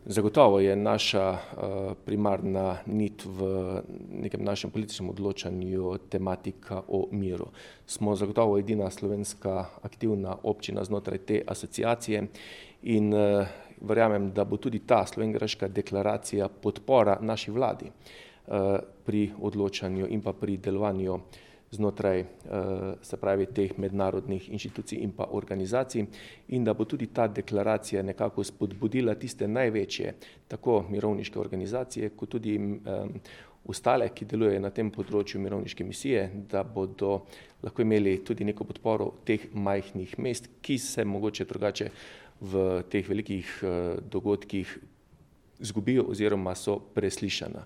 Zagotovo je naša primarna nit v nekem našem političnem odločanju tematika o miru. Smo zagotovo edina slovenska aktivna občina znotraj te asociacije in verjamem, da bo tudi ta slovenjgraška deklaracija podpora naši vladi pri odločanju in pa pri delovanju znotraj se pravi teh mednarodnih inštitucij in pa organizacij in da bo tudi ta deklaracija nekako spodbudila tiste največje, tako mirovniške organizacije, kot tudi ostale, ki delujejo na tem področju mirovniške misije, da bodo lahko imeli tudi neko podporo teh majhnih mest, ki se mogoče drugače v teh velikih dogodkih izgubijo oziroma so preslišana.